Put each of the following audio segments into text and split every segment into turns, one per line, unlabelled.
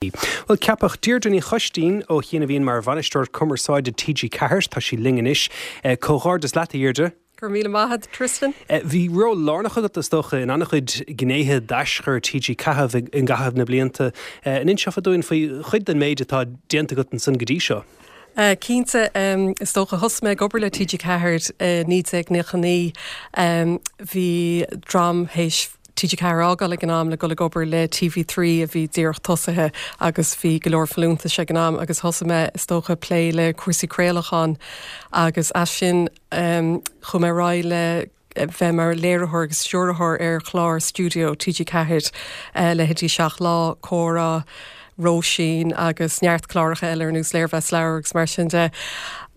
Bhuel, ceapadh Deirdre Ní Choistín ó chian a bhíonn mar Bhainisteoir Cumarsáide TG4, tá sí linn anois. Comhghairdeas leat, a Dheirdre.
Go raibh míle maith agat, Tristan.
Bhí ról lárnach agat, is dócha, in an-chuid gnéithe d'aischur TG4 i gcaitheamh na blianta. An inseofá dúinn faoi chuid den méid atá déanta agat ansan go dtí seo?
Cinnte, is dócha, thosaigh mé ag obair le TG4 i 1999. Bhí dream théis TG4 a fhágáil ag an am le dul ag obair le TV3 a bhí díreach tosaithe agus bhí go leor folúntais ag an am agus thosaigh mé is dócha ag plé le cúrsaí craolacháin agus as sin chuaigh mé ar aghaidh le bheith mar léiritheoir agus stiúrthóir ar chlár stiúideo TG4, leithéidí Seacht Lá, Comhrá, Róisín agus neart cláracha eile ar nós Léirmheas Leabhar agus mar sin de.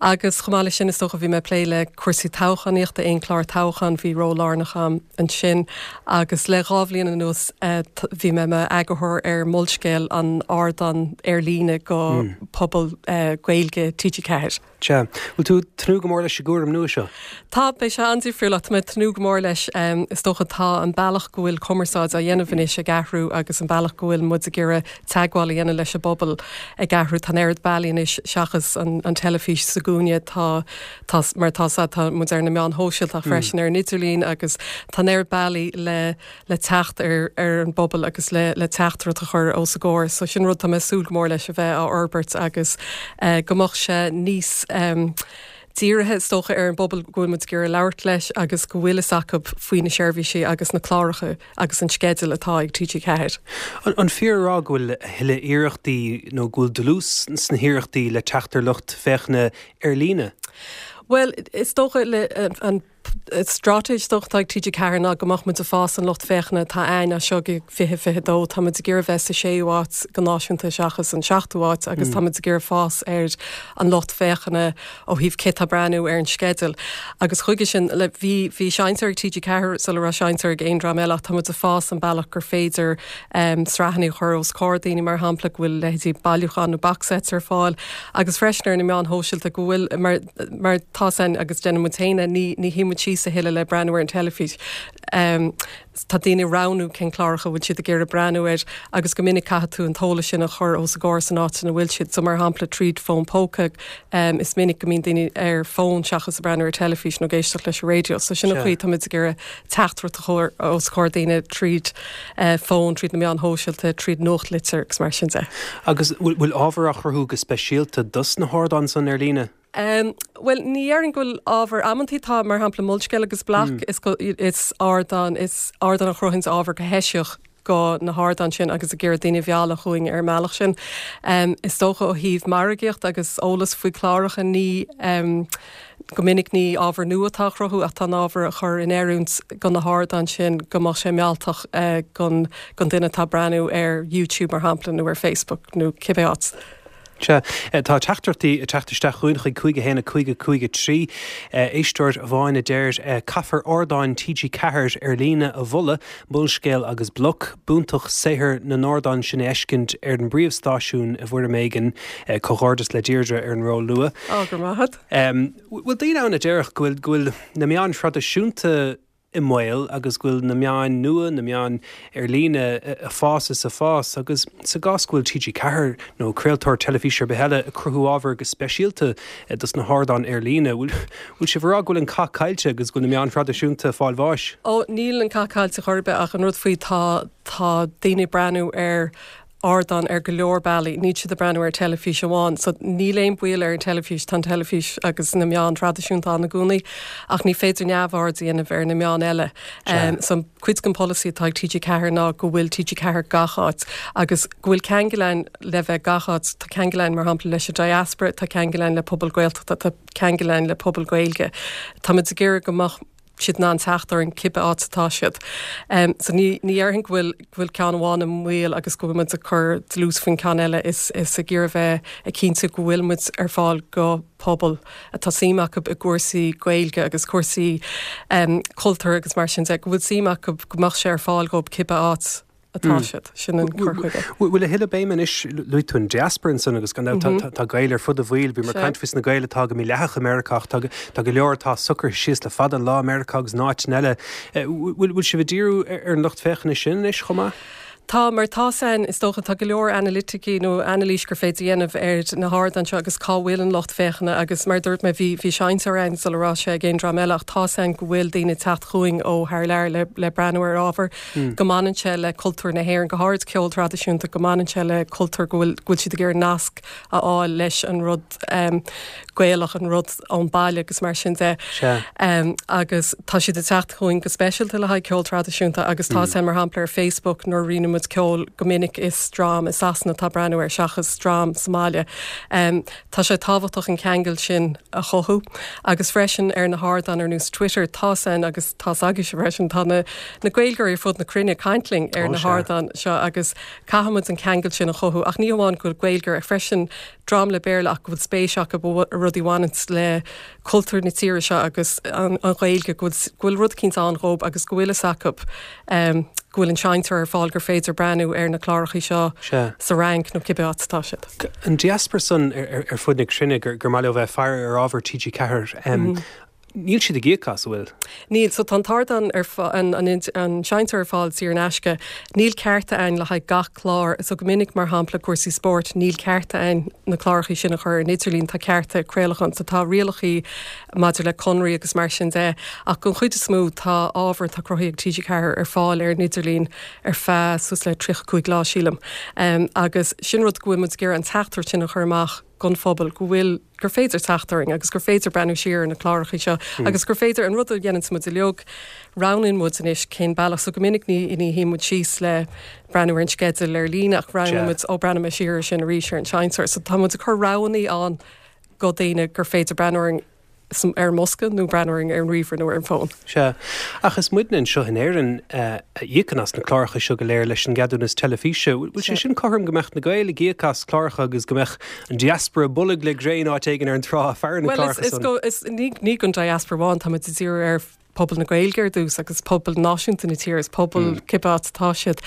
Agus chomh maith leis sin is dócha bhí mé ag plé le cúrsaí toghchánaíochta, aon chlár toghcháin, bhí ról lárnach agam ansin. Agus le 2 bhliain anuas bhí mé i m'eagarthóir ar Molscéal, an ardán ar líne go pobal Gaeilge TG4.
Sea. Bhfuil tú ag tnúth go mór leis an gcúram nua seo?
Tá, beidh sé an-difriúil ach tá mé ag tnúth go mór leis. Is dócha tá an bealach go bhfuil cumarsáid á dhéanamh anois ag athrú agus an bealach go bhfuil muid ag iarraidh teagmháil a dhéanamh leis an bpobal ag athrú. Tá an oiread bealaí anois seachas an teilifís sa gcúinne. Tá, tá, mar atá 's a'd, tá muid ar na meáin shóisialta ach freisin ar an idirlíon agus tá an oiread bealaí le le teacht ar ar an bpobal agus le le teachtaireacht a chur os a gcomhair. So sin rud tá mé ag súil go mór leis a bheith á fhorbairt agus go mbeadh sé níos dírithe is dócha ar an bpobal go bhfuil muid ag iarraidh labhairt leis agus go bhfuil fhios acu faoi na seirbhísí agus na cláracha agus an sceideal atá ag TG4.
An fíor a rá go bhfuil a thuilleadh iarrachtaí nó go bhfuil dlús sna hiarrachtaí le teacht ar lucht féachana ar líne?
Bhuel, is dócha le an straitéis is dócha atá ag TG4 ná go mbeadh muid ag fás an lucht féachana atá a'ainn as seo go 2022. Tá muid ag iarraidh bheith sa séú áit go náisiúnta seachas an seachtú áit agus tá muid ag iarraidh fás ar an lucht féachana ó thaobh cé tá ag breathnú ar an sceideal. Agus chuige sin, le, bhí, bhí seinnteoir ag TG4 sula raibh seinnteoir ag aon dream eile ach tá muid ag fás an bealach gur féidir sraitheanna a chur os comhair daoine, mar shampla, go bhfuil leithéidí bailiúchán nó box sets ar fáil agus freisin ar na meáin shóisialta go bhfuil, mar, mar tá san agus déanann muid féin é, ní, ní shuíonn muid síos a thuilleadh le breathnú ar an teilifís. Tá daoine ag roghnú cén cláracha a bhfuil siad ag iarraidh breathnú air agus go minic caithfidh tú an t-eolas sin a chur os a gcomhair san áit ina bhfuil siad. So mar shampla tríd fón póca, is minic go mbíonn daoine ar fón seachas ag breathnú ar teilifís nó ag éisteacht leis an raidió. So sin an chaoi tá muid ag iarraidh teachtaireacht a chur os comhair daoine tríd fón, tríd na meáin shóisialta, tríd nuachtlitir agus mar sin de.
Agus bhfuil ábhar á chruthú go speisialta dos na hardáin san ar líne?
Bhuel, ní dhéarfainn go bhfuil ábhar, amantaí tá, mar shampla Molscéal agus Bloc, is is ardán, is ardán a chruthaíonns ábhar go heisiach go na hardáin sin agus ag iarraidh daoine a mhealladh chugainn ar an mbealach sin. Is dócha ó thaobh margaíocht agus eolas faoi cláracha ní, go minic ní ábhar nua atá á chruthú ach tá an ábhar á chur in oiriúint go na hardáin sin go mbeadh sé mealltach gon gon duine atá ag breathnú ar YouTube mar shampla nó ar Facebook nó cibé áit.
Sea, tá teachtaireachtaí ag teacht isteach chugainn chuig 5 1 5 5 3. Éisteoir amháin a deir, Caithfear ardáin TG4 ar líne a mholadh, Molscéal agus Bloc. B'fhiúntach saothar na n-ardán sin a fheiscint ar an bpríomhstáisiún i bhfoirm éigin. Comhghairdeas le Deirdre ar an ról nua.
Á, go raibh maith agat.
Bhfuil daoine ann a déarfadh go bhfuil go bhfuil na meáin thraidisiúnta i mbaol agus go bhfuil na meáin nua, na meáin ar líne ag fás is ag fás agus sa gcás go bhfuil TG4 nó craoltóir teilifíse ar bith eile ag cruthú ábhar go speisialta dos na hardáin ar líne, bhfuil sibh ag rá go bhfuil an cath caillte agus go bhfuil na meáin thraidisiúnta ag fáil bháis?
Ó, níl an cath caillte chor ar bith ach an rud faoi tá tá daoine ag breathnú ar ardán ar go leor bealaí, níl siad ag breathnú ar teilifís amháin. So níl aon baol ar an teilifís, tá an teilifís agus na meáin thraidisiúnta ann i gcónaí, ach ní féidir neamhaird a dhéanamh ar na meáin eile. So cuid den polasaí atá ag TG4 ná go bhfuil TG4 gach áit agus go bhfuil ceangal ann le bheith gach áit. Tá ceangal ann mar shampla leis an diaspora, tá ceangal ann le pobal Gaeltachta, tá ceangal ann le pobal Gaeilge. Táimid ag iarraidh go mbeadh siad in ann teacht orainn cibé áit atá siad. So ní ní dhéarfainn go bhfuil go bhfuil ceann amháin i mbaol agus go bhfuil muid ag cur dlús faoin ceann eile is is ag iarraidh bheith ag cinntiú go bhfuil muid ar fáil go pobal atá suim acu i gcúrsaí Gaeilge agus cúrsaí cultúir agus mar sin de, go bhfuil suim acu go mbeadh sé ar fáil dhóibh cibé áit atá siad. Sin an cur chuige.
Bhfuil a thuilleadh béime anois, luaigh tú an diaspora ansan agus gan dabht tá Gaeil ar fud an bhaill, bhíomar ag caint faoi na Gaeil atá go mídhleathach i Meiriceá ach tá go leor atá socraithe síos le fada an lá i Meiriceá agus in áiteanna eile. Bhfuil sibh ag díriú ar an lucht féachana sin anois chomh maith?
Tá, mar tá's a'inn, is dócha, tá go leor anailiticí nó anailís gur féidir a dhéanamh ar na hardáin seo agus cá bhfuil an lucht féachana agus mar a dúirt mé, bhí, bhí seinnteoir a'inn sula raibh sé ag aon dream eile ach tá's a'inn go bhfuil daoine ag teacht chugainn ó thar lear le, le breathnú ar ábhar go mbaineann sé le cultúr na hÉireann, go háirid ceol traidisiúnta, go mbaineann sé le cultúr go bhfuil, go bhfuil siad ag iarraidh nasc a fháil leis an rud Gaelach, an rud ón baile agus mar sin de. Agus tá siad ag teacht chugainn go speisialta le haghaidh ceol traidisiúnta agus tá sé mar shampla ar Facebook nuair a roinneann muid ceol go minic is dream i Sasana atá ag breathnú air seachas dream sa mbaile. Tá sé tábhachtach an ceangal sin a chothú agus freisin ar na hardáin ar nós Twitter tá's a'inn agus tá's agaibhse freisin tá na na Gaeilgeoirí ar fud na cruinne ag caint linn ar na hardáin seo agus caithfidh muid an ceangal sin a chothú ach ní hamháin go bhfuil Gaeilgeoir ach freisin dream le Béarla ach go bhfuil spéis acu i rudaí a bhaineanns le cultúr na tíre seo agus an Ghaeilge, go bhfuil go bhfuil rud eicínt ann dhób agus go bhfuil fhios acu go bhfuil an seinnteoir ar fáil gur féidir breathnú ar na clárachaí seo sa Fhrainc nó cibé áit atá siad.
An diaspora san ar fud na cruinne gur maith leo bheith ag faire ar ábhar TG4, Níl siad ag íoc as, an bhfuil?
Níl. So tá an t-ardán ar an an seinnteoir ar fáil saor in aisce. Níl cearta a'inn le haghaidh gach clár. So go minic, mar shampla, cúrsaí spóirt, níl cearta a'inn na clárachaí sin a chur ar an idirlíon, tá cearta craolacháin. So tá rialachaí maidir le conraí agus mar sin de. Ach don chuid is mó, tá ábhar atá cruthaithe ag TG4 ar fáil ar an idirlíon ar feadh suas le 35 lá, sílim. Agus sin rud go bhfuil muid ag iarraidh an teachtaireacht sin a chur amach don phobal, go bhfuil, gur féidir teacht orainn agus gur féidir breathnú siar ar na clárachaí seo agus gur féidir an rud a dhéananns muid uilig, roghnaíonn muid anois cén bealach. So go minic ní ní shuíonn muid síos le breathnú ar an sceideal ar líne ach roghnaíonn muid, ó breathnóidh mé siar ar sin arís ar an seinnteoir. So tá muid ag cur roghannaí ann go daoine gur féidir breathnú orainn ar an mbosca nó breathnú orainn ar an ríomhaire nó ar an bhfón.
Sea. Ach is muidne anseo in Éirinn a íocann as na cláracha seo go léir leis an gceadúnas teilifíse. Bhfuil sé sin cothrom go mbeadh na Gaeil ag íoc as cláracha agus go mbeadh an diaspora bolg le gréin áit éigin ar an trá ag faire na
gcláracha san? Bhuel, is, is, ní, ní don diaspora amháin, tá muid ag díriú ar pobal na Gaeilge ar dtús agus pobal náisiúnta na tíre, is pobal cibé áit atá siad.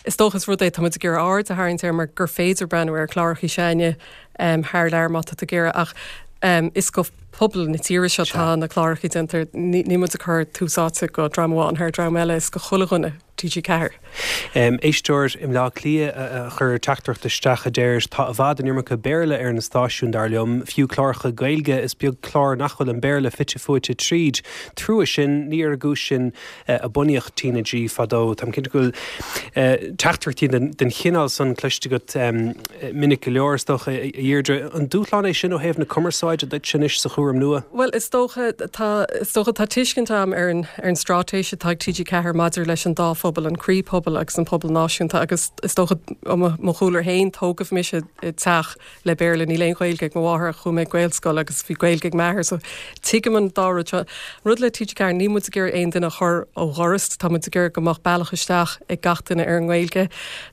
Is dócha is rud é tá muid ag iarraidh aird a tharraingt air mar gur féidir breathnú ar chlárachaí s'againne thar lear má tá tú ag iarraidh ach is go pobal na tíre seo tá na clárachaí déanta, níl muid ag cur tús áite go dream amháin thar dream eile, is go chuile dhuine TG4.
Éisteoir i mBleá Cliath a chuir teachtaireacht isteach a deir, Tá i bhfad an iomarca Béarla ar na stáisiúin, dar liom. Fiú cláracha Gaeilge, is beag clár nach bhfuil an Béarla fite fuaite tríd. Trua sin, ní ar an gcúis sin a bunaíodh TnaG fadó. Táim cinnte go bhfuil teachtaireachtaí den chineál san cloiste agat minic go leor, is dócha, a Dheirdre. An dúshlán é sin ó thaobh na cumarsáide duit anois sa chúram nua?
Bhuel, is dócha, tá, is dócha, tá tuiscint agam ar an, ar an straitéis atá ag TG4 maidir leis an dá phobal, an croíphobal agus an pobal náisiúnta agus is dócha, ó mo chúlra féin, tógadh mise i dteach le Béarla, níl aon Ghaeilge ag mo mháthair ach chuaigh mé ag Gaelscoil agus bhí Gaeilge ag m'athair so tuigim an dá rud seo. An rud le TG4, níl muid ag iarraidh aon duine a chur ó dhoras, tá muid ag iarraidh go mbeadh bealach isteach ag gach duine ar an nGaeilge.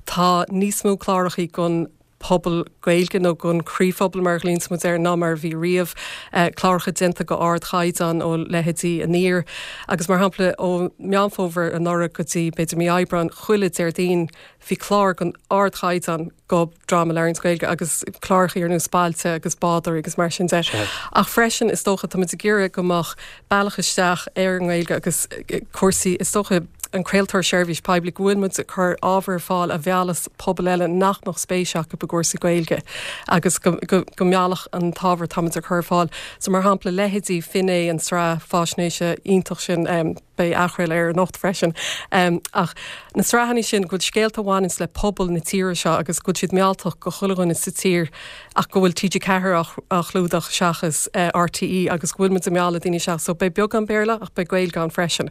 Tá níos mó clárachaí gon pobal Gaeilge nó gon chroíphobal mar a ghlaonns muid air ná mar a bhí riamh. Cláracha déanta go ardchaighdeán ó leithéidí Aniar agus mar shampla ó Meán Fómhair anuraidh go dtí b'fhéidir mí Aibreáin chuile Déardaoin bhí clár gon ardchaighdeán go dream a labhraíonns Gaeilge agus clárachaí ar nós Bailte agus Bádóirí agus mar sin de. Ach freisin is dócha tá muid ag iarraidh go mbeadh bealach isteach ar an nGaeilge agus cúrsaí is dócha an craoltóir seirbhís poiblí go bhfuil muid ag cur ábhar ar fáil a mheallas pobal eile nach mbeadh spéis acu i gcúrsaí Gaeilge agus go go go meallfadh an t-ábhar atá muid ag cur ar fáil. So mar shampla leithéidí Finné an tsraith faisnéise iontach sin beidh athchraoladh air anocht freisin. Ach na sraitheanna sin, go bhfuil scéalta a bhaineanns le pobal na tíre seo agus go bhfuil siad mealltach go chuile dhuine sa tír ach go bhfuil TG4 á chlúdach seachas RTÉ agus go bhfuil muid ag mealladh daoine isteach. So beidh beagán Béarla ach beidh Gaeilge ann freisin.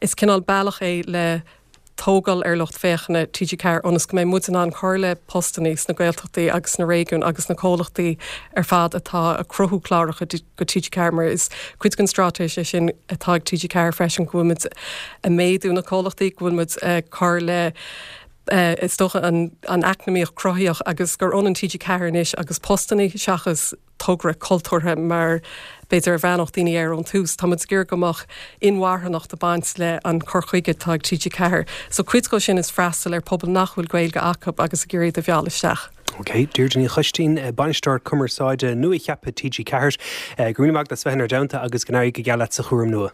Is cineál bealach é le tógáil ar lucht féachana TG4 ionas go mbeidh muid in ann cur le postannaí sna Gaeltachtaí agus sna réigiúin agus na comhlachtaí ar fad atá ag cruthú cláracha go TG4 mar is cuid den straitéis é sin atá ag TG4 freisin go bhfuil muid ag méadú na comhlachtaí, go bhfuil muid ag cur le is dócha an an eacnamaíocht cruthaitheach agus gur ionann TG4 anois agus postannaí seachas togra cultúrtha mar b'fhéidir a bhreathnódh daoine air ón tús. Tá muid ag iarraidh go mbeadh inmharthanacht ag baint le an cur chuige atá ag TG4. So cuid dhó sin is freastal ar pobal nach bhfuil Gaeilge acu agus ag iarraidh iad a mhealladh isteach.
Ok, Deirdre Ní Choistín, Bainisteoir Cumarsáide nua-cheaptha TG4. Go raibh míle maith agat as bheith inár dteannta agus go n-éirí go geal leat sa chúram nua.